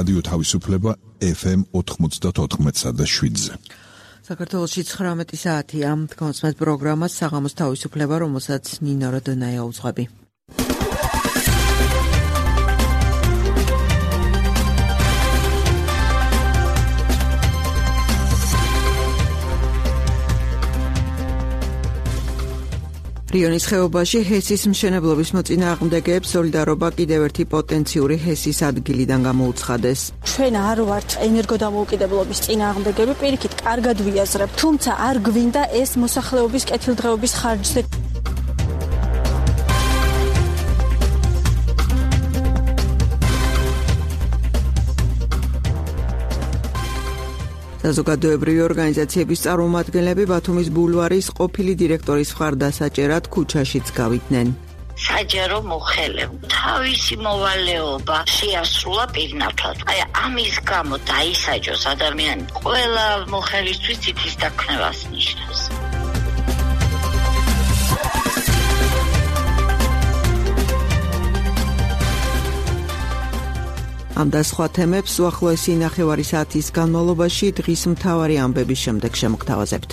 რადიო თავისუფლება FM 94.7-ზე. საქართველოში 19 საათია. თქვენს პროგრამას საღამოს თავისუფლება, რომელსაც ნინო როდონაია უძღვები. რიონის ხეობაში ჰესის მშენებლობის მოწინააღმდეგეებს სოლიდარობა კიდევ ერთი პოტენციური ჰესის ადგილიდან გამოუცხადეს. ჩვენ არ ვართ ენერგოდამოუკიდებლობის წინააღმდეგები, პირიქით კარგად ვიაზრებთ, თუმცა არ გვინდა ეს მოსახლეობის კეთილდღეობის ხარჯზე. საზოგადოებრივი ორგანიზაციების წარმომადგენლები ბათუმის ბულვარის ყოფილი დირექტორის მხარდასაჭერად ქუჩაშიც გავიდნენ. საჯარო მოხელე თავისი მოვალეობა შეასრულა პირნათლად. აი ამის გამო დაისაჯოს ადამიანი ყველა მოხელისთვის თითის დაქნევას ნიშნავს. ამ და სხვა თემებს უახლოესი ნახევარი საათის განმავლობაში დღის მთავარი ამბების შემდეგ შემოგთავაზებთ.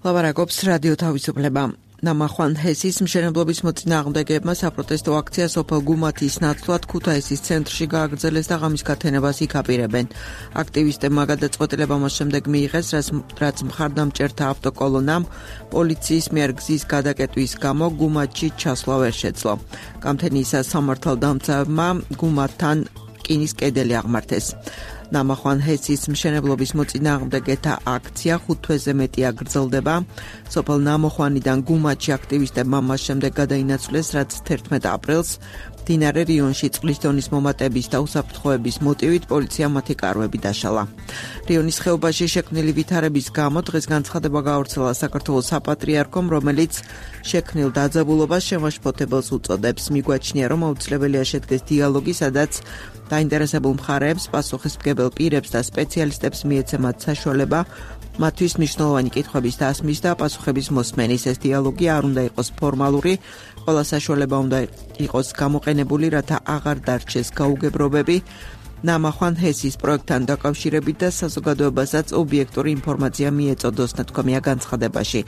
ლაბარაკობს რადიო თავისუფლება. ნამახვან ჰესის მშენებლობის მოწინააღმდეგეებმა საპროტესტო აქცია სოფელ გუმათის ნაცვლად ქუთაისის ცენტრში გააგრძელეს და ღამის გათენებას იქ-აპირებენ. აქტივისტებმა გადაწყვეტილება მას შემდეგ მიიღეს, რაც მხარდამჭერთა ავტოკოლონამ პოლიციის მიერ გზის გადაკეტვის გამო გუმათში ჩასვლა ვერ შეძლო. გამთენიისას სამართალდამცავებმა გუმათთან რკინის კედელი აღმართეს. ნამახვან ჰესის მშენებლობის მოწინააღმდეგეთა აქცია 5 თვეზე მეტი აგრძელდება. სოფელ ნამოხვანიდან გუმათში აქტივისტებმა მას შემდეგ გადაინაცვლეს, რაც 11 აპრილს მდინარე რიონში წყლის დონის მომატების და უსაფრთხოების მოტივით პოლიციამ მათი კარვები დაშალა. რიონის ხეობაში შექმნილი ვითარების გამო დღეს განცხადება გაავრცელა საქართველოს საპატრიარქომ, რომელიც შექმნილ დაძაბულობას შემაშფოთებელს უწოდებს. მიგვაჩნია, რომ აუცილებელია შედგეს დიალოგი, სადაც დაინტერესებულ მხარეებს, პასუხისმგებელ პირებს და სპეციალისტებს მიეცემათ საშუალება მათთვის მნიშვნელოვანი კითხვების დასმის და პასუხების მოსმენის. ეს დიალოგი არ უნდა იყოს ფორმალური, ყველა საშუალება უნდა იყოს გამოყენებული, რათა აღარ დარჩეს გაუგებრობები. ნამახვან ჰესის პროექტთან დაკავშირებით და საზოგადოებასაც ობიექტური ინფორმაცია მიეწოდოს, ნათქვამია განცხადებაში.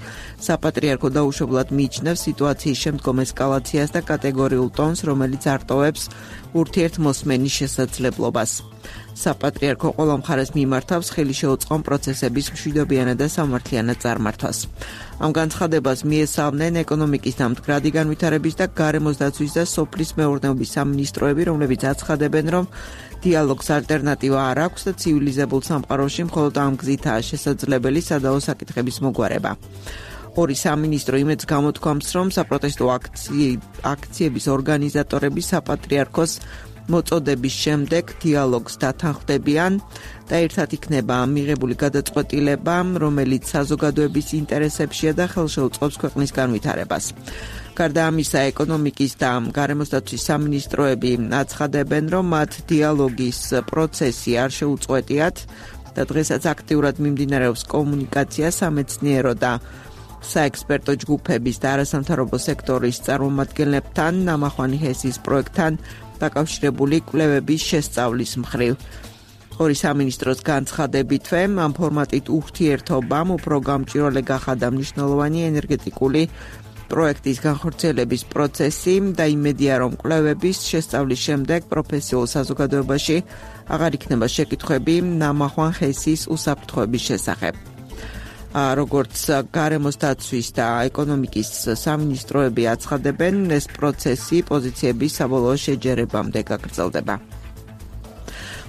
საპატრიარქო დაუშვებლად მიიჩნევს სიტუაციის შემდგომ ესკალაციას და კატეგორიულ ტონს, რომელიც არტოვებს ურთიერთმოსმენის შესაძლებლობას. საპატრიარქო ყველა მხარეს მიმართავს ხელი შეუწყონ პროცესების მშვიდობიანად და სამართლიანად წარმართვას. ამ განცხადებას მიესალმნენ ეკონომიკის და მდგრადი განვითარების და გარემოს დაცვის და სოფლის მეურნეობის სამინისტროები, რომლებიც აცხადებენ, რომ დიალოგს ალტერნატივა არ აქვს და ცივილიზებულ სამყაროში მხოლოდ ამ გზითაა შესაძლებელი სადაო საკითხების მოგვარება. ორი სამინისტრო იმედს გამოთქვამს, რომ საპროტესტო აქციების ორგანიზატორები საპატრიარქოს მოწოდების შემდეგ დიალოგს დათანხმდებიან და ერთად იქნება მიღებული გადაწყვეტილება, რომელიც საზოგადოების ინტერესებშია და ხელშეუწყობს ქვეყნის განვითარებას. გარდა ამისა, ეკონომიკის და გარემოს დაცვის სამინისტროები აცხადებენ, რომ მათ დიალოგის პროცესი არ შეუწყვეტიათ და დღესაც აქტიურად მიმდინარეობს კომუნიკაცია სამეცნიერო და საექსპერტო ჯგუფების და არასამთავრობო სექტორის წარმომადგენლებთან ნამახვანი ჰესის პროექტთან დაკავშირებული კვლევების შესწავლის მხრივ. ორი სამინისტროს განცხადებითვე ამ ფორმატით ურთიერთობამ უფრო გამჭვირვალე გახადა მნიშვნელოვანი ენერგეტიკული პროექტის განხორციელების პროცესი და იმედია, რომ კვლევების შესწავლის შემდეგ პროფესიულ საზოგადოებაში აღარ იქნება შეკითხვები ნამახვან ჰესის უსაფრთხოების შესახებ. როგორც გარემოს დაცვის და ეკონომიკის სამინისტროები აცხადებენ, ეს პროცესი პოზიციების საბოლოო შეჯერებამდე გაგრძელდება.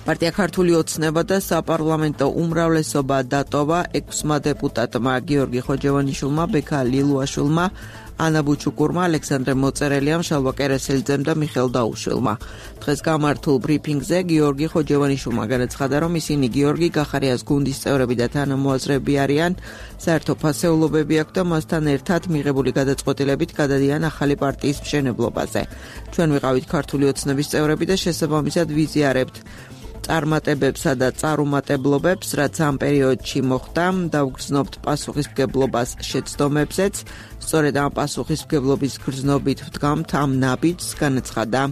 პარტია ქართული ოცნება და საპარლამენტო უმრავლესობა დატოვა 6 დეპუტატმა გიორგი ხოჯევანიშვილმა, ბექა ლილუაშვილმა, ანა ბუჩუკურმა, ალექსანდრე მოწერელიამ, შალვა კერესელიძემ და მიხელ დაუშვილმა. დღეს გამართულ ბრიფინგზე გიორგი ხოჯევანიშვილმა განაცხადა, რომ ისინი გიორგი გახარიას გუნდის წევრები და თანამოაზრეები არიან, საერთო ფასეულობები აქვს და მასთან ერთად მიღებული გადაწყვეტილებით გადადიან ახალი პარტიის მშენებლობაზე. ჩვენ ვიყავით ქართული ოცნების წევრები და შესაბამისად ვიზიარებთ წარმატებებსა და წარუმატებლობებს, რაც ამ პერიოდში მოხდა, დავგრძნობთ პასუხისმგებლობას შეცდომებზეც. სწორედ ამ პასუხისმგებლობის გრძნობით ვდგამთ ამ ნაბიჯს, განაცხადა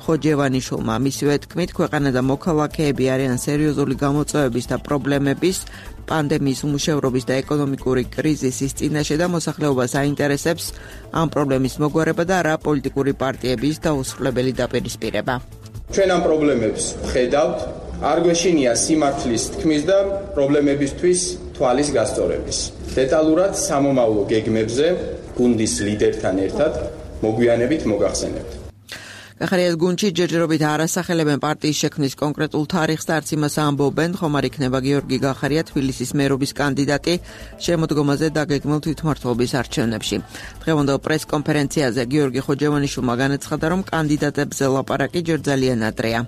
ხოჯევანიშვილმა. მისივე თქმით, ქვეყანა და მოქალაქეები არიან სერიოზული გამოწვევების და პრობლემების, პანდემიის უმუშევრობის და ეკონომიკური კრიზისის წინაშე და მოსახლეობას აინტერესებს ამ პრობლემის მოგვარება და არა პოლიტიკური პარტიების დაუსრულებელი დაპირისპირება. ჩვენ ამ პრობლემებს ვხედავთ, არ გვეშინია სიმართლის თქმის და პრობლემებისთვის თვალის გასწორების. დეტალურად სამომავლო გეგმებზე გუნდის ლიდერთან ერთად მოგვიანებით მოგახსენებთ. გახარიას გუნდში ჯერჯერობით არასახელებენ პარტიის შექმნის კონკრეტულ თარიღს და არც იმას ამბობენ, ხომ არ იქნება გიორგი გახარია თბილისის მერობის კანდიდატი შემოდგომაზე დაგეგმილ თვითმმართველობის არჩევნებში. დღევანდელ პრესკონფერენციაზე გიორგი ხოჯევანიშვილმა განაცხადა, რომ კანდიდატებზე ლაპარაკი ჯერ ძალიან ადრეა.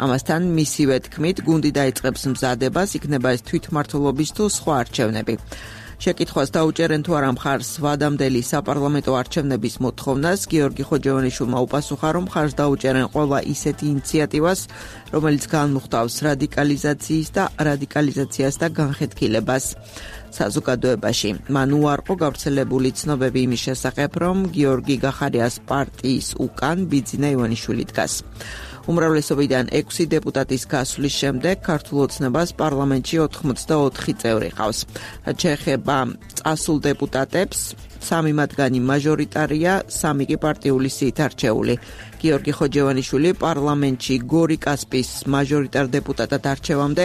ამასთან მისივე თქმით, გუნდი დაიწყებს მზადებას, იქნება ეს თვითმმართველობის თუ სხვა არჩევნები. შეკითხვას დაუჭერენ თუ არა მხარს ვადამდელი საპარლამენტო არჩევნების მოთხოვნას, გიორგი ხოჯევანიშვილმა უპასუხა, რომ მხარს დაუჭერენ ყველა ისეთი ინიციატივას, რომელიც განმუხტავს რადიკალიზაციას და განხეთქილებას საზოგადოებაში. მან უარყო გავრცელებული ცნობები იმის შესახებ, რომ გიორგი გახარიას პარტიის უკან ბიძინა ივანიშვილი დგას. უმრავლესობიდან 6 დეპუტატის გასვლის შემდეგ ქართულ ოცნებას პარლამენტში 84 წევრი ყავს. რაც შეეხება წასულ დეპუტატებს, 3 მათგანი მაჟორიტარია, 3 კი პარტიული სიით არჩეული. გიორგი ხოჯევანიშვილი პარლამენტში გორი კასპის მაჟორიტარ დეპუტატად არჩევამდე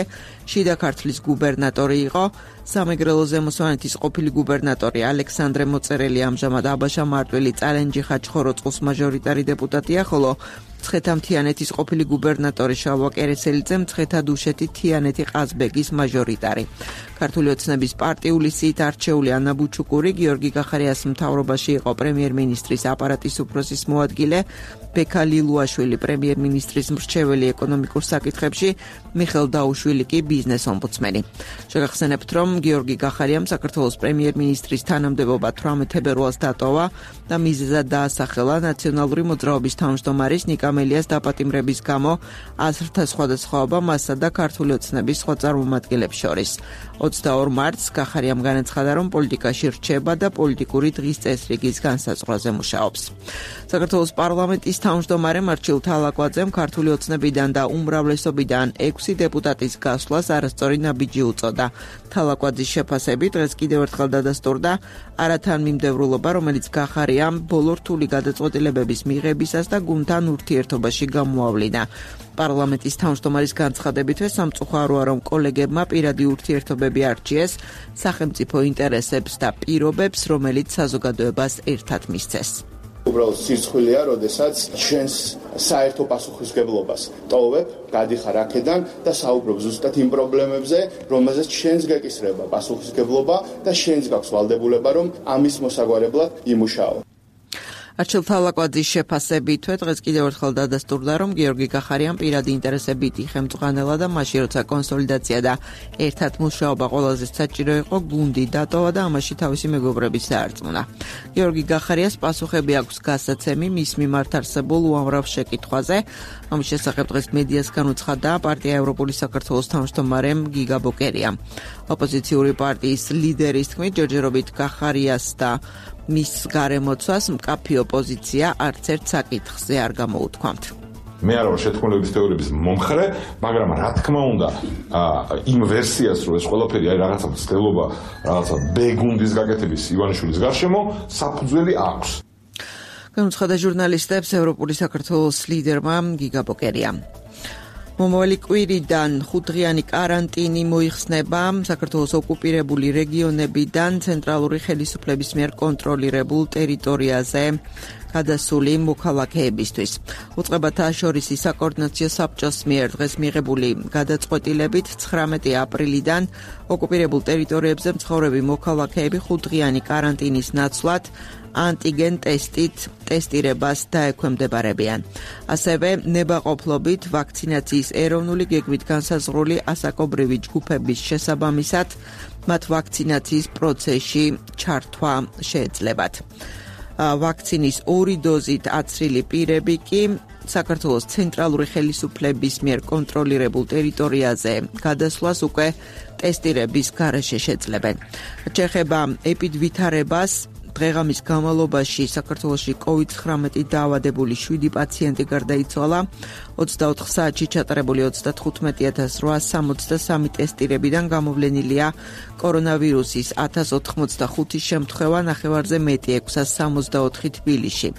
შიდა ქართლის გუბერნატორი იყო. სამეგრელო ზემოსვანეთის ყოფილი გუბერნატორი ალექსანდრე მოწერელი ამჟამად აბაშა მარტვილი წალენჯიხა ხაჩხოროწყუს მაჟორიტარი დეპუტატია, ხოლო მცხეთა-მთიანეთის ყოფილი გუბერნატორი შალვა კერესელიძე მცხეთა-დუშეთი თიანეთი ყაზბეგის მაჟორიტარი. ქართული ოცნების პარტიული სიით არჩეული ანა ბუჩუკური გიორგი გახარიას მთავრობაში იყო პრემიერ-მინისტრის აპარატის უფროსის მოადგილე, ბექა ლილუაშვილი პრემიერ-მინისტრის მრჩეველი ეკონომიკურ საკითხებში, მიხელ დაუშვილი კი ბიზნეს ომბუდსმენი. შეგახსენებთ, რომ გიორგი გახარიამ საქართველოს პრემიერ-მინისტრის თანამდებობა 18 თებერვალს დატოვა და მიზეზად დაასახელა ნაციონალური მოძრაობის თავმჯდომარის ნიკა მელიას დაპატიმრების გამო აზრთა სხვადასხვაობა მასსა და ქართული ოცნების სხვა წარმომადგენლებს შორის. 22 მარტს გახარიამ განაცხადა, რომ პოლიტიკაში რჩება და პოლიტიკური დღის წესრიგის განსაზღვრაზე მუშაობს. საქართველოს პარლამენტის თავმჯდომარემ არჩილ თალაკვაძემ ქართული ოცნებიდან და უმრავლესობიდან 6 დეპუტატის გასვლას არასწორი ნაბიჯი უწოდა. თალაკვაძის შეფასებით დღეს კიდევ ერთხელ დადასტურდა არათანმიმდევრულობა, რომელიც გახარიამ ბოლო რთული გადაწყვეტილებების მიღებისას და გუნდთან ურთიერთობაში გამოავლინა. პარლამენტის თავმჯდომარის განცხადებითვე სამწუხაროა, რომ კოლეგებმა პირადი ურთიერთობები არჩიეს სახელმწიფო ინტერესებს და პირობებს, რომელიც საზოგადოებას ერთად მისცეს. უბრალოდ სირცხვილია, როდესაც ჩვენს საერთო პასუხისმგებლობას ტოვებ, გადიხარ აქედან და საუბრობ ზუსტად იმ პრობლემებზე, რომელზეც ჩვენს გეკისრება პასუხისმგებლობა და ჩვენს გაქვს ვალდებულება, რომ ამის მოსაგვარებლად იმუშაო. არჩილ თალაკვაძის შეფასებითვე დღეს კიდევ ერთხელ დადასტურდა, რომ გიორგი გახარიამ პირადი ინტერესებით იხემწყანელა და მაშინ როცა კონსოლიდაცია და ერთად მუშაობა ყველაზე საჭირო იყო, გუნდი დატოვა და ამაში თავისი მეგობრების დაარწმუნა. გიორგი გახარიას პასუხები აქვს გასაცემი მის მიმართ არსებულ უამრავ შეკითხვაზე. ამის შესახებ დღეს მედიას განუცხადა პარტია ევროპული საქართველოს თავმჯდომარემ გიგა ბოკერიამ. ოპოზიციური პარტიის ლიდერის თქმით, ჯერჯერობით გახარიას და მის გარემოცვას მკაფი ოპოზიცია არც ერთ საკითხზე არ გამოუთქვამთ. მე არ ვარ შეთქმულების თეორიების მომხრე, მაგრამ რა თქმა უნდა, იმ ვერსიას, რომ ეს ყველაფერი აი რაღაცა მცდელობა, რაღაცა ბეგუნდის გაკეთების ივანიშვილის გარშემო, საფუძველი აქვს. განუცხადა ჟურნალისტებს ევროპული საქართველოს ლიდერმა გიგა ბოკერიამ. მომავალი კვირიდან 5-დღიანი კარანტინი მოიხსნება საქართველოს ოკუპირებული რეგიონებიდან ცენტრალური ხელისუფლების მიერ კონტროლირებულ ტერიტორიაზე გადასული მოქალაქეებისთვის. უწყებათა შორის საკოორდინაციო საბჭოს მიერ დღეს მიღებული გადაწყვეტილებით 19 აპრილიდან ოკუპირებულ ტერიტორიებზე მცხოვრები მოქალაქეები 5-დღიანი კარანტინის ნაცვლად ანტიგენ ტესტით ტესტირებას დაექვემდებარებიან. ასევე ნებაყოფლობით ვაქცინაციის ეროვნული გეგმით განსაზღვრული ასაკობრივი ჯგუფების შესაბამისად მათ ვაქცინაციის პროცესში ჩართვა შეეძლებათ. ვაქცინის 2 დოზით აცრილი პირები კი საქართველოს ცენტრალური ხელისუფლების მიერ კონტროლირებულ ტერიტორიაზე გადასვლას უკვე ტესტირების გარეშე შეძლებენ. შეეხება ეპიდვითარებას, დღეღამის განმავლობაში საქართველოში COVID-19 დაავადებული 7 პაციენტი გარდაიცვალა. 24 საათში ჩატარებული 35863 ტესტირებიდან გამოვლენილია კორონავირუსის 1085 შემთხვევა, ნახევარზე მეტი 664 თბილისში.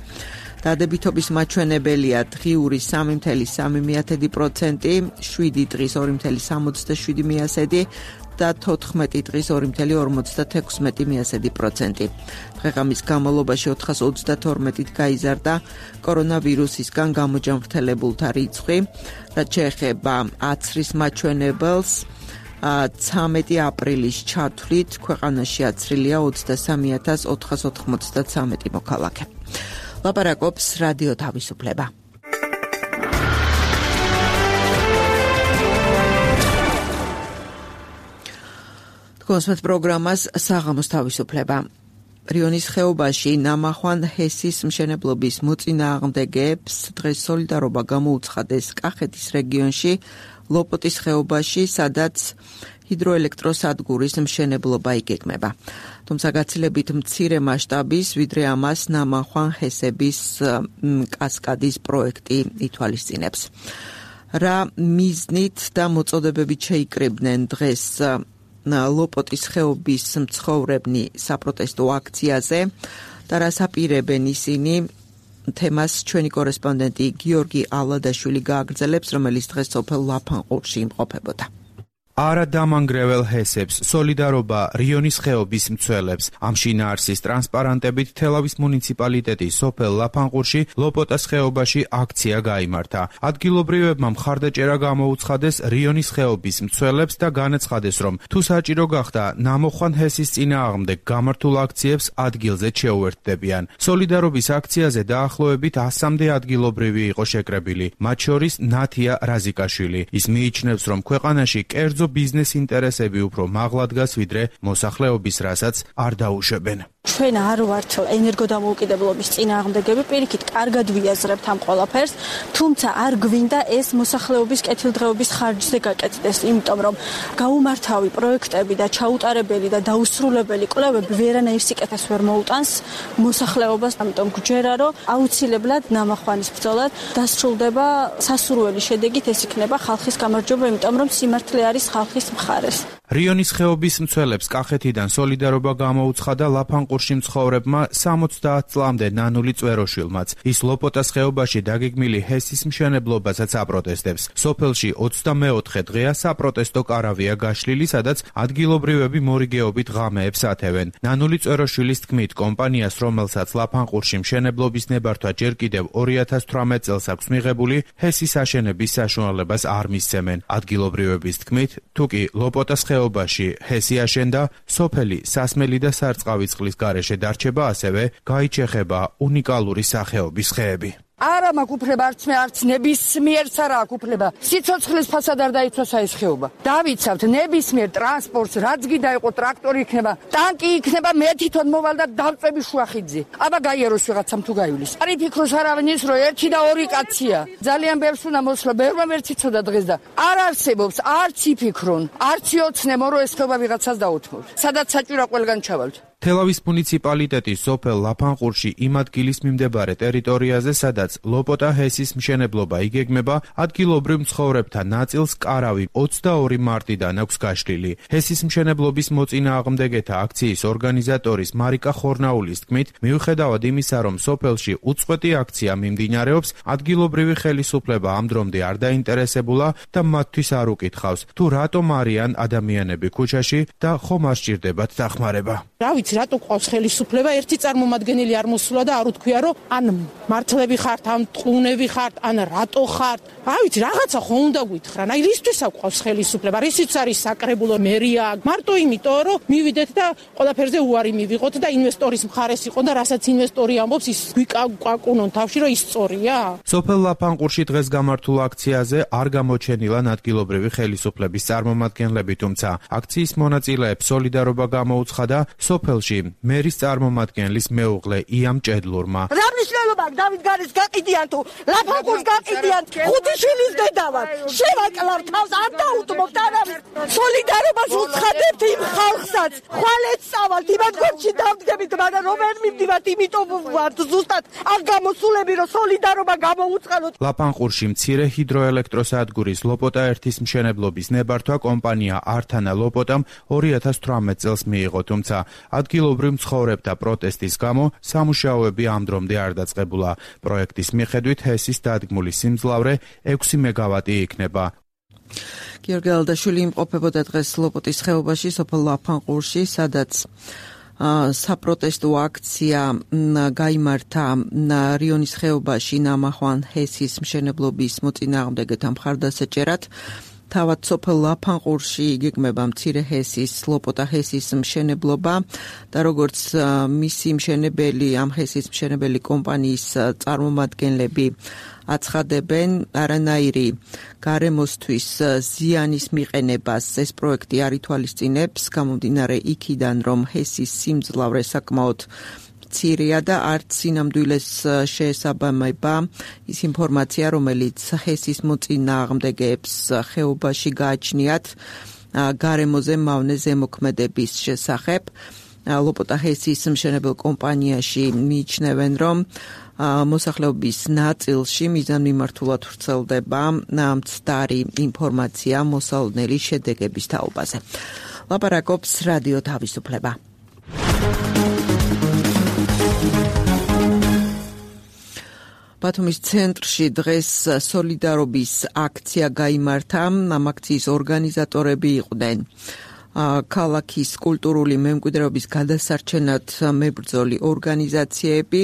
დადებითობის მაჩვენებელია დღიური 3.3%, 7 დღის 2.67% და 14 დღის 2.56%. დღეღამის განმავლობაში 432-ით გაიზარდა კორონავირუსისგან გამოჯანმრთელებულთა რიცხვი, რაც შეეხება აცრის მაჩვენებელს. 13 აპრილის ჩათვლით ქვეყანაში აცრილია 23,493 მოქალაქე. ლაპარაკობს რადიო თავისუფლება. კონსმეთ პროგრამას საღამოს თავისუფლება. რიონის ხეობაში ნამახვან ჰესის მშენებლობის მოწინააღმდეგეებს დღეს სოლიდარობა გამოუცხადეს კახეთის რეგიონში, ლოპოტის ხეობაში, სადაც ჰიდროელექტროსადგურის მშენებლობა იგეგმება. თუმცა გაცილებით მცირე მასშტაბის, ვიდრე ამას ნამახვან ჰესების კასკადის პროექტი ითვალისწინებს. რა მიზნით და მოწოდებებით შეიკრიბნენ დღეს ლოპოტის ხეობის მცხოვრებნი საპროტესტო აქციაზე და რას აპირებენ ისინი, თემას ჩვენი კორესპონდენტი გიორგი ალადაშვილი გააგრძელებს, რომელიც დღეს სოფელ ლაფანყურში იმყოფებოდა. არა დამანგრეველ ჰესებს, სოლიდარობა რიონის ხეობის მცველებს. ამ შინაარსის ტრანსპარანტებით თელავის მუნიციპალიტეტის სოფელ ლაფანყურში ლოპოტას ხეობაში აქცია გაიმართა. ადგილობრივებმა მხარდაჭერა გამოუცხადეს რიონის ხეობის მცველებს და განაცხადეს, რომ თუ საჭირო გახდა ნამოხვან ჰესის წინააღმდეგ გამართულ აქციებს ადგილზე შეუერთდებიან. სოლიდარობის აქციაზე დაახლოებით 100-მდე ადგილობრივი იყო შეკრებილი, მათ შორის ნათია რაზიკაშვილი. ის მიიჩნევს, რომ ქვეყანაში კერძო ბიზნეს ინტერესები უფრო მაღლა დგას, ვიდრე მოსახლეობის, რასაც არ დაუშვებენ. ჩვენ არ ვართ ენერგოდამოუკიდებლობის წინააღმდეგები, პირიქით კარგად ვიაზრებთ ამ ყველაფერს, თუმცა არ გვინდა ეს მოსახლეობის კეთილდღეობის ხარჯზე გაკეთდეს, იმიტომ რომ გაუმართავი პროექტები და ჩაუტარებელი და დაუსრულებელი კვლევები ვერანაირ სიკეთეს ვერ მოუტანს მოსახლეობას, ამიტომ გვჯერა, რომ აუცილებლად ნამახვანის ბრძოლა დასრულდება სასურველი შედეგით, ეს იქნება ხალხის გამარჯვება, იმიტომ რომ სიმართლე არის ხალხის მხარეს. რიონის ხეობის მცველებს კახეთიდან სოლიდარობა გამოუცხადა ლაფანყურში მცხოვრებმა 70 წლამდე ნანული წვეროშვილმაც. ის ლოპოტას ხეობაში დაგეგმილი ჰესის მშენებლობასაც აპროტესტებს. სოფელში 24 დღეა საპროტესტო კარავია გაშლილი, სადაც ადგილობრივები მორიგეობით ღამეებს ათევენ. ნანული წვეროშვილის თქმით, კომპანიას, რომელსაც ლაფანყურში მშენებლობის ნებართვა ჯერ კიდევ 2018 წელს აქვს მიღებული, ჰესის აშენების საშუალებას არ მისცემენ. ადგილობრივების თქმით, თუკი ლოპოტას ხეობაში ჰესი აშენდა, სოფელი სასმელი და სარწყავი წყლის გარეშე დარჩება, ასევე გაიჩეხება უნიკალური სახეობის ხეები. არა მაქვს უფლება არც ნებისმიერს არა აქვს უფლება. სიცოცხლის ფასად არ დაიცვას ეს ხეობა. დავიცავთ ნებისმიერ ტრანსპორტს, რაც გინდა იყო, ტრაქტორი იქნება, ტანკი იქნება, მე თვითონ მოვალ და დავწები შუახიძე. აბა გაიაროს ვიღაცამ თუ გაივლის. არ იფიქროს არავინ ის, რომ 1 და 2 კაცია. ძალიან ბევრს უნდა მოსვლა, ბევრმა ვერ ციცოდა დღეს და არ არსებობს, არც იფიქრონ, არც იოცნებო, რომ ეს ხეობა ვიღაცას დაუთმოთ. სადაც საჭიროა ყველგან ჩავალთ. თელავის მუნიციპალიტეტის სოფელ ლაფანყურში იმ ადგილის მიმდებარე ტერიტორიაზე, სადაც ლოპოტა ჰესის მშენებლობა იგეგმება, ადგილობრივ მცხოვრებთა ნაწილს კარავი 22 მარტიდან აქვს გაშლილი. ჰესის მშენებლობის მოწინააღმდეგეთა აქციის ორგანიზატორის მარიკა ხორნაულის თქმით, მიუხედავად იმისა, რომ სოფელში უწყვეტი აქცია მიმდინარეობს, ადგილობრივი ხელისუფლება ამ დრომდე არ დაინტერესებულა და მათთვის არ უკითხავს, თუ რატომ არიან ადამიანები ქუჩაში და ხომ არ სჭირდებათ დახმარება. რა ვიცი, რატო ყავს ხელისუფლება, ერთი წარმომადგენელი არ მოსულა და არ უთქვია, რომ ან მართლები ხართ, ან ტყუნები ხართ, ან რატო ხართ. რა ვიცი, რაღაცა ხო უნდა გითხრა. აი რისთვის ყავს ხელისუფლება? რისიც არის საკრებულო მერია? მარტო იმიტომ, რომ მივიდეთ და ყველაფერზე უარი მივიღოთ და ინვესტორის მხარეს იყო და რასაც ინვესტორი ამბობს, ის გვიკაკუნონ თავში, რომ ის სწორია. სოფელ ლაფანყურში დღეს გამართულ აქციაზე არ გამოჩენილან ადგილობრივი ხელისუფლების წარმომადგენლები, თუმცა აქციის მონაწილეებს სოლიდარობა გამოუცხადა სოფელ წელში მერის წარმომადგენლის მეუღლე იამ ჭედლურმა. რა მნიშვნელობა აქვს დავით გარის გაყიდიან თუ ლაფანყურს გაყიდიან, ხუთი შვილის დედა ვარ. შევაკლავ თავს არ დაუთმობთ არავის. სოლიდარობას უცხადებთ იმ ხალხსაც. ხვალეთ წავალთ იმათ გორჩი დავდგებით, მაგრამ რომ ვერ მივდივართ, იმიტომ ვართ ზუსტად ამ გამოსულები, რომ სოლიდარობა გამოუწყალოთ. ლაფანყურში მცირე ჰიდროელექტროსადგურის ლოპოტა 1-ის მშენებლობის ნებართვა კომპანია ართანა ლოპოტამ 2018 წელს მიიღო, თუმცა ადგილობრივ მცხოვრებთა პროტესტის გამო სამუშაოები ამ დრომდე არ დაწყებულა. პროექტის მიხედვით ჰესის დადგმული სიმძლავრე 6 მეგავატი იქნება. გიორგი ალდაშვილი იმყოფებოდა დღეს ლოპოტის ხეობაში, სოფელ ლაფანყურში, სადაც საპროტესტო აქცია გაიმართა რიონის ხეობაში ნამახვან ჰესის მშენებლობის მოწინააღმდეგეთა მხარდასაჭერად. თავად სოფელ ლაფანყურში იგეგმება მცირე ჰესის, ლოპოტა ჰესის მშენებლობა და როგორც მისი მშენებელი, ამ ჰესის მშენებელი კომპანიის წარმომადგენლები აცხადებენ, არანაირი გარემოსთვის ზიანის მიყენებას ეს პროექტი არ ითვალისწინებს, გამომდინარე იქიდან, რომ ჰესის სიმძლავრე საკმაოდ მცირეა და არც სინამდვილეს შეესაბამება ის ინფორმაცია, რომელიც ჰესის მოწინააღმდეგეებს ხეობაში გააჩნიათ გარემოზე მავნე ზემოქმედების შესახებ. ლოპოტა ჰესის მშენებელ კომპანიაში მიიჩნევენ, რომ მოსახლეობის ნაწილში მიზანმიმართულად ვრცელდება მცდარი ინფორმაცია მოსალოდნელი შედეგების თაობაზე. ლაპარაკობს რადიო თავისუფლება. ბათუმის ცენტრში დღეს სოლიდარობის აქცია გაიმართა. ამ აქციის ორგანიზატორები იყვნენ ქალაქის კულტურული მემკვიდრეობის გადასარჩენად მებრძოლი ორგანიზაციები.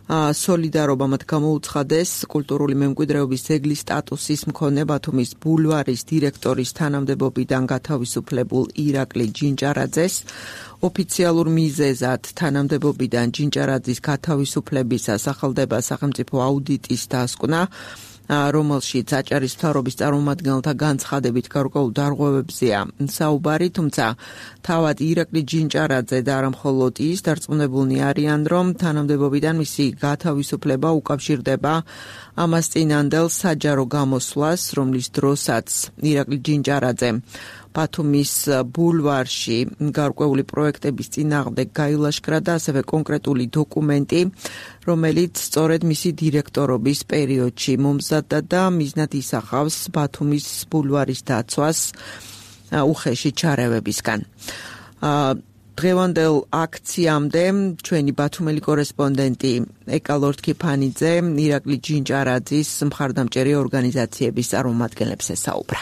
სოლიდარობა მათ გამოუცხადეს კულტურული მემკვიდრეობის ძეგლის სტატუსის მქონე ბათუმის ბულვარის დირექტორის თანამდებობიდან გათავისუფლებულ ირაკლი ჯინჭარაძეს. ოფიციალურ მიზეზად თანამდებობიდან ჯინჭარაძის გათავისუფლებისას სახელდება სახელმწიფო აუდიტის დასკვნა, რომელშიც აჭარის მთავრობის წარმომადგენელთა განცხადებით გარკვეულ დარღვევებზეა საუბარი, თუმცა თავად ირაკლი ჯინჭარაძე და არა მხოლოდ ის დარწმუნებულნი არიან, რომ თანამდებობიდან მისი გათავისუფლება უკავშირდება ამას წინანდელ საჯარო გამოსვლას, რომლის დროსაც ირაკლი ჯინჭარაძე ბათუმის ბულვარში გარკვეული პროექტების წინააღმდეგ გაილაშქრა და ასევე კონკრეტული დოკუმენტი, რომელიც სწორედ მისი დირექტორობის პერიოდში მომზადდა და მიზნად ისახავს ბათუმის ბულვარის დაცვას უხეში ჩარევებისგან. დღევანდელ აქციამდე ჩვენი ბათუმელი კორესპონდენტი ეკა ლორთქიფანიძე ირაკლი ჯინჭარაძის მხარდამჭერი ორგანიზაციების წარმომადგენლებს ესაუბრა.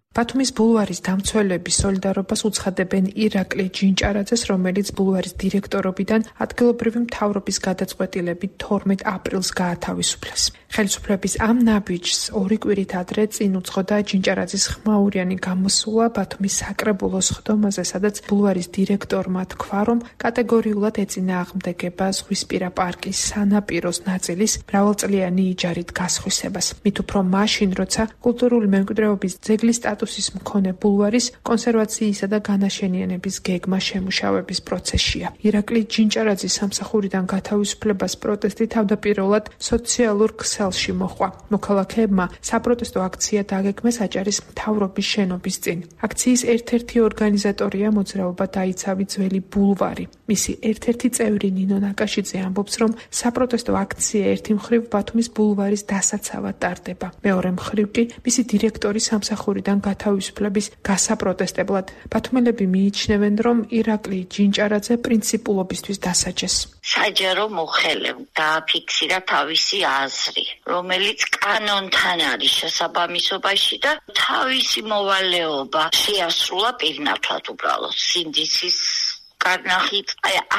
ბათუმის ბულვარის დამცველების სოლიდარობას უცხადებენ ირაკლი ჯინჭარაძეს, რომელიც ბულვარის დირექტორობიდან ადგილობრივი მთავრობის გადაწყვეტილებით 12 აპრილს გაათავისუფლეს. ხელისუფლების ამ ნაბიჯს 2 კვირით ადრე წინ უძღოდა ჯინჭარაძის ხმაურიანი გამოსვლა ბათუმის საკრებულოს ხდომაზე, სადაც ბულვარის დირექტორმა თქვა, რომ კატეგორიულად ეწინააღმდეგება ზღვისპირა პარკის სანაპიროს ნაწილის მრავალწლიანი იჯარით გასხვისებას. მით უფრო მაშინ, როცა კულტურული მემკვიდრეობის ძეგლის სტატუსის მქონე ბულვარის კონსერვაციისა და განაშენიანების გეგმა შემუშავების პროცესშია. ირაკლი ჯინჭარაძის სამსახურიდან გათავისუფლებას პროტესტი თავდაპირველად სოციალურ ქსელში მოჰყვა. მოქალაქეებმა საპროტესტო აქცია დაგეგმეს აჭარის მთავრობის შენობის წინ. აქციის ერთ-ერთი ორგანიზატორია მოძრაობა დაიცავი ძველი ბულვარი. მისი ერთ-ერთი წევრი ნინო ნაკაშიძე ამბობს, რომ საპროტესტო აქცია ერთი მხრივ ბათუმის ბულვარის დასაცავად ტარდება. მეორე მხრივ კი მისი დირექტორის სამსახურიდან გათავისუფლების გასაპროტესტებლად. ბათუმელები მიიჩნევენ, რომ ირაკლი ჯინჭარაძე პრინციპულობისთვის დასაჯეს. საჯარო მოხელემ დააფიქსირა თავისი აზრი, რომელიც კანონთან არის შესაბამისობაში და თავისი მოვალეობა შეასრულა პირნათლად უბრალოდ სინდისის კარნახით.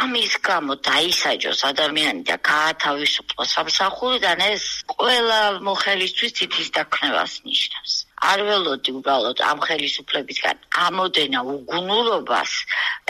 ამის გამო დაისაჯოს ადამიანი და გაათავისუფლოს სამსახურიდან, ეს ყველა მოხელისთვის თითის დაქნევას ნიშნავს. არ ველოდი უბრალოდ ამ ხელისუფლებისგან ამოდენა უგუნურობას,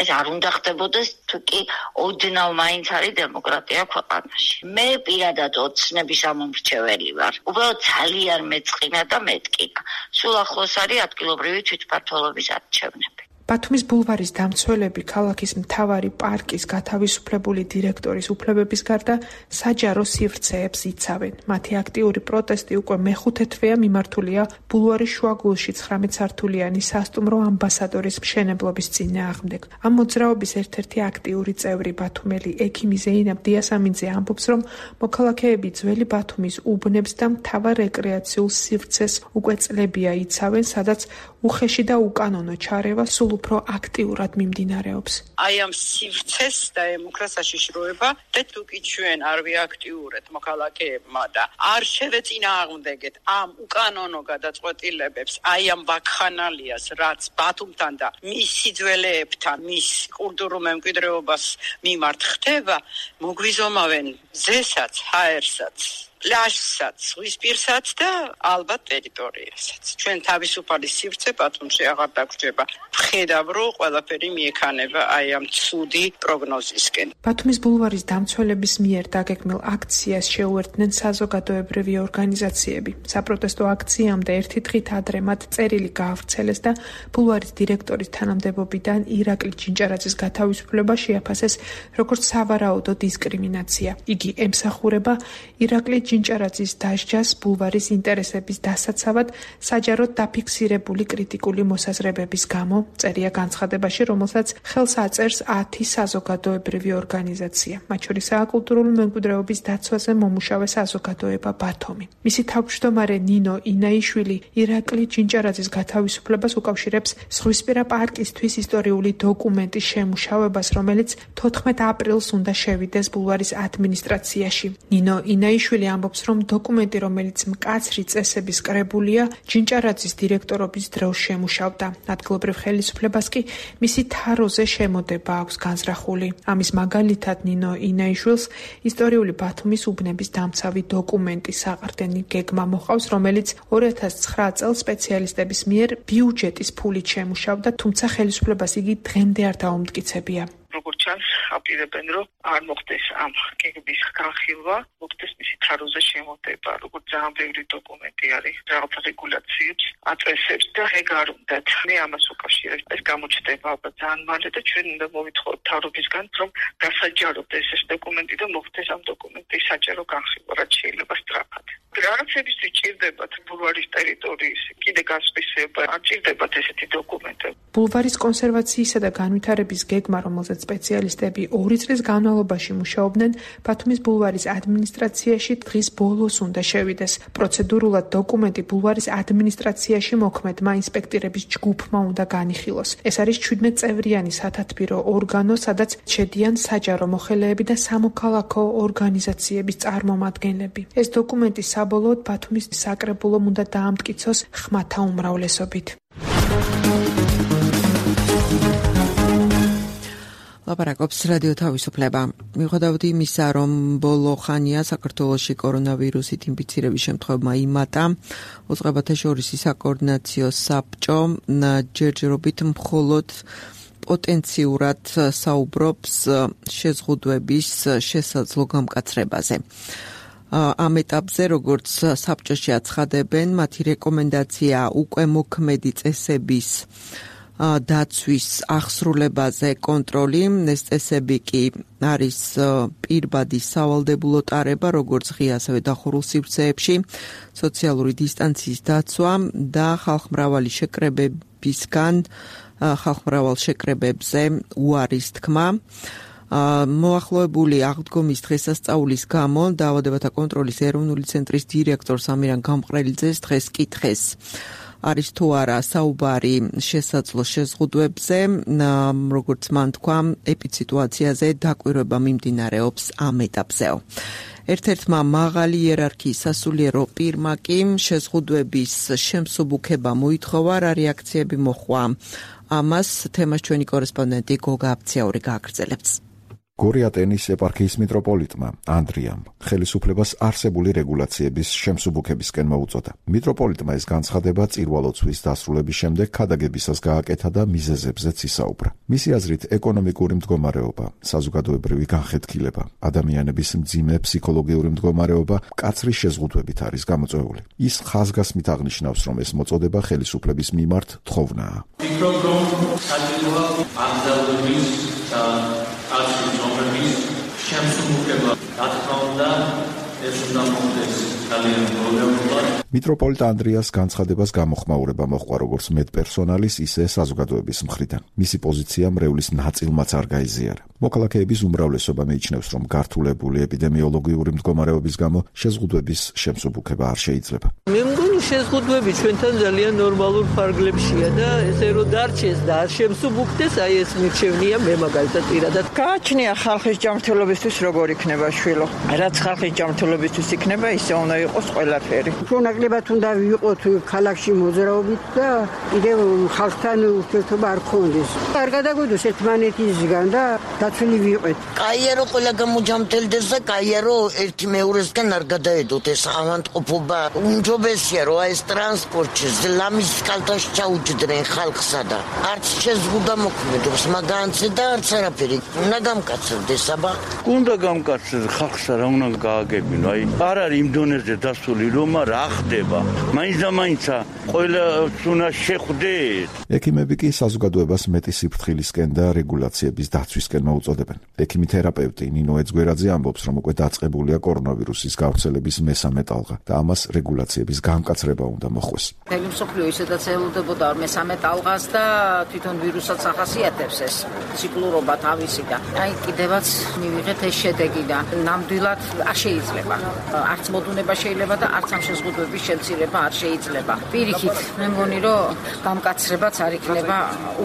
ეს არ უნდა ხდებოდეს, თუ კი ოდნავ მაინც არის დემოკრატია ქვეყანაში. მე პირადად ოცნების ამომრჩეველი ვარ. უბრალოდ ძალიან მეწყინა და მეტკინა. სულ ახლოს არის ადგილობრივი თვითმმართველობის არჩევნები. ბათუმის ბულვარის დამცველები ქალაქის მთავარი პარკის გათავისუფლებული დირექტორის უფლებების გარდა საჯარო სივრცეებს იცავენ. მათი აქტიური პროტესტი უკვე მეხუთე თვეა მიმართულია ბულვარის შუაგულში 19 სართულიანი სასტუმრო ამბასადორის მშენებლობის წინააღმდეგ. ამ მოძრაობის ერთ-ერთი აქტიური წევრი ბათუმელი ექიმი ზეინაბ დიასამინძე ამბობს, რომ მოქალაქეები ძველი ბათუმის უბნებს და მთავარ რეკრეაციულ სივრცეს უკვე წლებია იცავენ, სადაც უხეში და უკანონო ჩარევა სულ უფრო აქტიურად მიმდინარეობს. აი ამ სივრცეს და ემუქრა საშიშროება და თუკი ჩვენ არ ვიაქტიურებთ მოქალაქეებმა და არ შევეწინააღმდეგეთ ამ უკანონო გადაწყვეტილებებს, აი ამ ვაქხანალიას, რაც ბათუმთან და მის სიძველეებთან, მის კულტურულ მემკვიდრეობას მიმართ ხდება, მოგვიზომავენ ზესაც, ჰაერსაც, პლაჟსაც, ზღვისპირსაც და ალბათ ტერიტორიასაც. ჩვენ თავისუფალი სივრცე ბათუმში აღარ დაგვრჩება. ვხედავ, რომ ყველაფერი მიექანება აი ამ ცუდი პროგნოზისკენ. ბათუმის ბულვარის დამცველების მიერ დაგეგმილ აქციას შეუერთდნენ საზოგადოებრივი ორგანიზაციები. საპროტესტო აქციამდე ერთი დღით ადრე მათ წერილი გაავრცელეს და ბულვარის დირექტორის თანამდებობიდან ირაკლი ჯინჭარაძის გათავისუფლება შეაფასეს როგორც სავარაუდო დისკრიმინაცია. იგი ემსახურება ირაკლი ჯინჭარაძის დასჯას ბულვარის ინტერესების დასაცავად საჯაროდ დაფიქსირებული კრიტიკული მოსაზრებების გამო, წერია განცხადებაში, რომელსაც ხელს აწერს 10 საზოგადოებრივი ორგანიზაცია, მათ შორისაა კულტურული მემკვიდრეობის დაცვაზე მომუშავე საზოგადოება ბათუმი. მისი თავმჯდომარე ნინო ინაიშვილი ირაკლი ჯინჭარაძის გათავისუფლებას უკავშირებს ზღვისპირა პარკისთვის ისტორიული დოკუმენტის შემუშავებას, რომელიც 14 აპრილს უნდა შევიდეს ბულვარის ადმინისტრაციაში. ნინო ინაიშვილი ამბობს, რომ დოკუმენტი, რომელიც მკაცრი წესების კრებულია, ჯინჭარაძის დირექტორობის დროს შემუშავდა. ადგილობრივ ხელისუფლებას კი მისი თაროზე შემოდება აქვს განზრახული. ამის მაგალითად ნინო ინაიშვილს ისტორიული ბათუმის უბნების დამცავი დოკუმენტი საყრდენი გეგმა მოყავს, რომელიც 2009 წელს სპეციალისტების მიერ ბიუჯეტის ფულით შემუშავდა, თუმცა ხელისუფლებას იგი დღემდე არ დაუმტკიცებია. როგორც ჩანს, აპირებენ, რომ არ მოხდეს ამ გეგმის განხილვა, მოხდეს მისი თაროზე შემოდება, როგორც ძალიან ბევრი დოკუმენტი არის, რაღაც რეგულაციებს აწესებს და ეგ არ უნდათ. მე ამას უკავშირებ, ეს გამოჩნდება ალბათ ძალიან მალე და ჩვენ უნდა მოვითხოვოთ თავრობისგან, რომ გასაჯაროთ ეს დოკუმენტი და მოხდეს ამ დოკუმენტის საჯარო განხილვა, რაც შეიძლება სწრაფად. რაღაცებისთვის ჭირდებათ ბულვარის ტერიტორიის კიდე გასწრება, არ ჭირდებათ ესეთი დოკუმენტები. ბულვარის კონსერვაციისა და განვითარების გეგმა, რომელზეც სპეციალისტები 2 წლის განმავლობაში მუშაობდნენ, ბათუმის ბულვარის ადმინისტრაციაში დღის ბოლოს უნდა შევიდეს. პროცედურულად დოკუმენტი ბულვარის ადმინისტრაციაში მოქმედმა ინსპექტორების ჯგუფმა უნდა განიხილოს. ეს არის 17 წევრიანი სათათბირო ორგანო, სადაც შედიან საჯარო მოხელეები და სამოქალაქო ორგანიზაციების წარმომადგენლები. ეს დოკუმენტი საბოლოოდ ბათუმის საკრებულომ უნდა დაამტკიცოს ხმათა უმრავლესობით. ლაპარაკობს რადიო თავისუფლება. მიუხედავად იმისა, რომ ბოლო ხანია საქართველოში კორონავირუსით ინფიცირების შემთხვევებმა იმატა, უწყებათა შორისი საკოორდინაციო საბჭო ჯერჯერობით მხოლოდ პოტენციურად საუბრობს შეზღუდვების შესაძლო გამკაცრებაზე. ამ ეტაპზე, როგორც საბჭოში აცხადებენ, მათი რეკომენდაცია უკვე მოქმედი წესების დაცვის აღსრულებაზე კონტროლი. ეს წესები კი არის პირბადი სავალდებულო ტარება, როგორც ღია, ასევე დახურულ სივრცეებში, სოციალური დისტანციის დაცვა და ხალხმრავალი შეკრებებზე უარის თქმა. მოახლოებული აღდგომის დღესასწაულის გამო დაავადებათა კონტროლის ეროვნული ცენტრის დირექტორს ამირან გამყრელიძეს დღეს კითხეს, არის თუ არა საუბარი შესაძლო შეზღუდვებზე, როგორც მან თქვა, ეპიდსიტუაციაზე დაკვირვება მიმდინარეობს ამ ეტაპზეო. ერთ-ერთმა მაღალი იერარქიის სასულიერო პირმა კი შეზღუდვების შემსუბუქება მოითხოვა, რა რეაქციები მოჰყვა. ამას თემას ჩვენი კორესპონდენტი გოგა აფციაური გააგრძელებს. გორი ატენის ეპარქიის მიტროპოლიტმა ანდრიამ ხელისუფლებას არსებული რეგულაციების შემსუბუქებისკენ მოუწოდა. მიტროპოლიტმა ეს განცხადება წირვალოცვის დასრულების შემდეგ ქადაგებისას გააკეთა და მიზეზებზეც ისაუბრა. მისი აზრით, ეკონომიკური მდგომარეობა, საზოგადოებრივი განხეთქილება, ადამიანების მძიმე ფსიქოლოგიური მდგომარეობა მკაცრი შეზღუდვებით არის გამოწვეული. ის ხაზგასმით აღნიშნავს, რომ ეს მოწოდება ხელისუფლების მიმართ თხოვნაა. ფიქრობ, რომ საჭიროა ანგზავრების და კაცრის რომების შემსუბუქება, რა თქმა უნდა, ეს უნდა მოხდეს ძალიან პრობლემულად. მიტროპოლიტ ანდრიას განცხადებას გამოხმაურება მოჰყვა როგორც მედპერსონალის, ისე საზოგადოების მხრიდან. მისი პოზიცია მრევლის ნაწილმაც არ გაიზიარა. მოქალაქეების უმრავლესობა მიიჩნევს, რომ გართულებული ეპიდემიოლოგიური მდგომარეობის გამო შეზღუდვების შემსუბუქება არ შეიძლება. მე მგონი შეზღუდვები ჩვენთან ძალიან ნორმალურ ფარგლებშია და ესე რომ დარჩეს და არ შემსუბუქდეს, აი ეს მირჩევნია მე მაგალითად პირადად. გააჩნია ხალხის ჯანმრთელობისთვის როგორ იქნება შვილო. რაც ხალხის ჯანმრთელობისთვის იქნება, ისე უნდა იყოს ყველაფერი. ნაკლებად უნდა ვიყოთ ქალაქში მოძრაობით და კიდევ ხალხთან ურთიერთობა არ გქონდეს. არ გადაგვიდოს ერთმანეთისგან და დაცული ვიყოთ. კაია რომ ყველა გამოჯამთელდეს და კაია რომ ერთი მეორესგან არ გადაედოთ ეს ავანტყოფობა. უმჯობესია რომ ეს ტრანსპორტში ლამის კალთაში ჩაუჯდნენ ხალხსა და არც შეზღუდა მოქმედობს, მაგანცე და არც არაფერი. უნდა გამკაცრდეს აბა. უნდა გამკაცრდეს ხალხსა რა უნდა გააგებინო. აი არ არის იმ დონეზე დასული რომ რა ხდება. მაინც და მაინცა ყველა უნდა შეხვდეთ. ექიმები კი საზოგადოებას მეტი სიფრთხილისკენ და რეგულაციების დაცვისკენ მოუწოდებენ. ექიმი თერაპევტი ნინო ეძგვერაძე ამბობს, რომ უკვე დაწყებულია კორონავირუსის გავრცელების მესამე ტალღა და ამას რეგულაციების გამკაცრება უნდა მოხდეს. მთელი მსოფლიო ისედაც ელოდებოდა მესამე ტალღას და თვითონ ვირუსაც ახასიათებს ეს ციკლურობა თავისი და აი კიდევაც მივიღეთ ეს შედეგი და ნამდვილად არ შეიძლება. არც მოდუნება შეიძლება და არც ამ შეზღუდვების შემცირება არ შეიძლება. პირიქით, მე მგონი, რომ გამკაცრებაც არ იქნება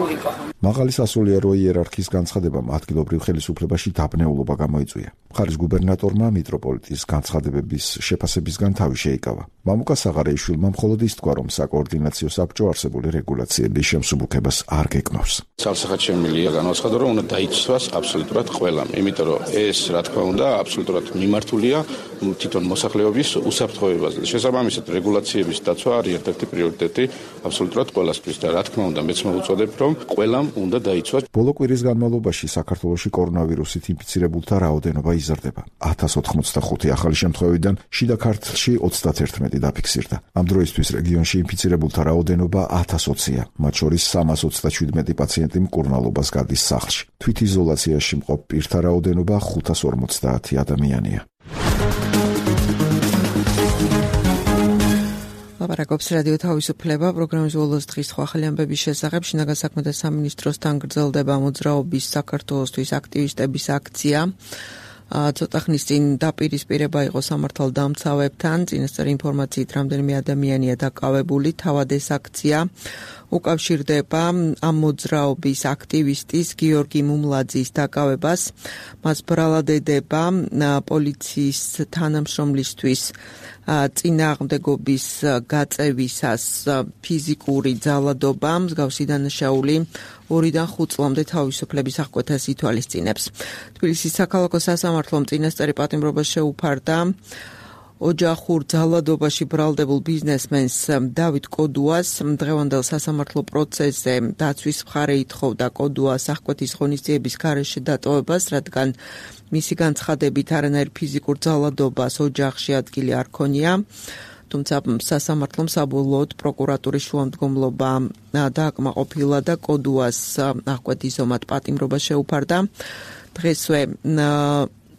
ურიკო. მაღალი სასულიერო იერარქიის განცხადებამ ადგილობრივ ხელისუფლებაში დაბნეულობა გამოიწვია. მხარის გუბერნატორმა მიტროპოლიტის განცხადებების შეფასებისგან თავი შეიკავა. მამუკა საღარეიშვილმა მხოლოდ ის თქვა, რომ საკოორდინაციო საბჭო არსებული რეგულაციების შემსუბუქებას არ გეკნობს. ცალსახად შემილია განაცხადა, რომ უნდა დაიცვას აბსოლუტურად ყველამ, იმიტომ რომ ეს, რა თქმა უნდა, აბსოლუტურად მიმართულია თვითონ მოსახლეობის უსაფრთხოებაზე. შესაბამისად, რეგულაციების დაცვა არის ერთ-ერთი პრიორიტეტი აბსოლუტურად ყველასთვის და რა თქმა უნდა, მეც მოვუწოდებ, რომ ყველამ უნდა დაიცვას. ბოლო კვირის განმავლობაში საქართველოში კორონავირუსით ინფიცირებულთა რაოდენობა იზრდება. 1085 ახალი შემთხვევიდან შიდა ქართლში 31 დაფიქსირდა. ამ დროისთვის რეგიონში ინფიცირებულთა რაოდენობა 1020-ია, მათ შორის 327 პაციენტი მკურნალობას გადის სახლში. თვითიზოლაციაში მყოფ პირთა რაოდენობა 550 ადამიანია. ლაპარაკობს რადიო თავისუფლება პროგრამის ბოლოს დღის სხვა ახალი ამბების შესახებ. შინაგან საქმეთა სამინისტროსთან გრძელდება მოძრაობის საქართველოსთვის აქტივისტების აქცია. ცოტა ხნის წინ დაპირისპირება იყო სამართალდამცავებთან. წინასწარი ინფორმაციით რამდენიმე ადამიანია დაკავებული. თავად ეს აქცია უკავშირდება ამ მოძრაობის აქტივისტის გიორგი მუმლაძის დაკავებას. მას ბრალადედება პოლიციის თანამშრომლისთვის წინააღმდეგობის გაწევისას ფიზიკური ძალადობა, მსგავსი დანაშაული 2-დან 5 წლამდე თავისუფლების აღკვეთას ითვალისწინებს. თბილისის საქალაქო სასამართლომ წინასწარი პატიმრობა შეუფარდა ოჯახურ ძალადობაში ბრალდებულ ბიზნესმენს დავით კოდუას. დღევანდელ სასამართლო პროცესზე დაცვის მხარე ითხოვდა კოდუას აღკვეთის ღონისძიების გარეშე დატოვებას, რადგან მისი განცხადებით არანაირ ფიზიკურ ძალადობას ოჯახში ადგილი არ ქონია. თუმცა სასამართლომ საბოლოოდ პროკურატურის შუამდგომლობა დააკმაყოფილა და კოდუას აღკვეთის ომად პატიმრობა შეუფარდა. დღესვე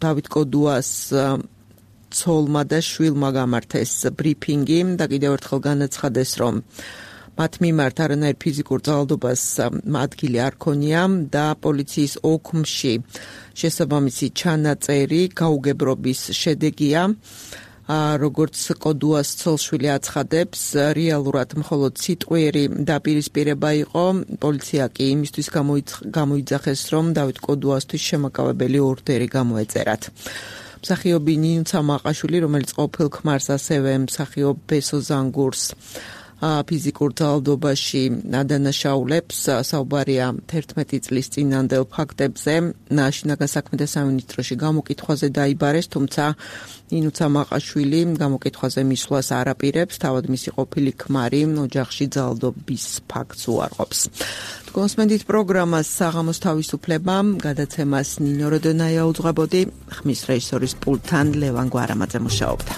დავით კოდუას ცოლმა და შვილმა გამართეს ბრიფინგი და კიდევ ერთხელ განაცხადეს, რომ მათ მიმართ არანაირ ფიზიკურ ძალადობას ადგილი არ ქონია და პოლიციის ოქმში შესაბამისი ჩანაწერი გაუგებრობის შედეგია. როგორც კოდუას ცოლშვილი აცხადებს, რეალურად მხოლოდ სიტყვიერი დაპირისპირება იყო. პოლიცია კი იმისთვის გამოიძახეს, რომ დავით კოდუასთვის შემაკავებელი ორდერი გამოეწერათ. მსახიობი ნინუცა მაყაშვილი, რომელიც ყოფილ ქმარს ასევე მსახიობ ბესო ზანგურს ფიზიკურ ძალადობაში ადანაშაულებს. საუბარია 11 წლის წინანდელ ფაქტებზე. შინაგან საქმეთა სამინისტროში გამოკითხვაზე დაიბარეს, თუმცა ინუცა მაყაშვილი გამოკითხვაზე მისვლას არ აპირებს, თავად მისი ყოფილი ქმარი ოჯახში ძალადობის ფაქტს უარყოფს. კონსმენდით პროგრამას საღამოს თავისუფლება, გადაცემას ნინო როდონაია უძღვებოდი, ხმის რეჟისორის პულტთან ლევან გვარამაძე მუშაობდა.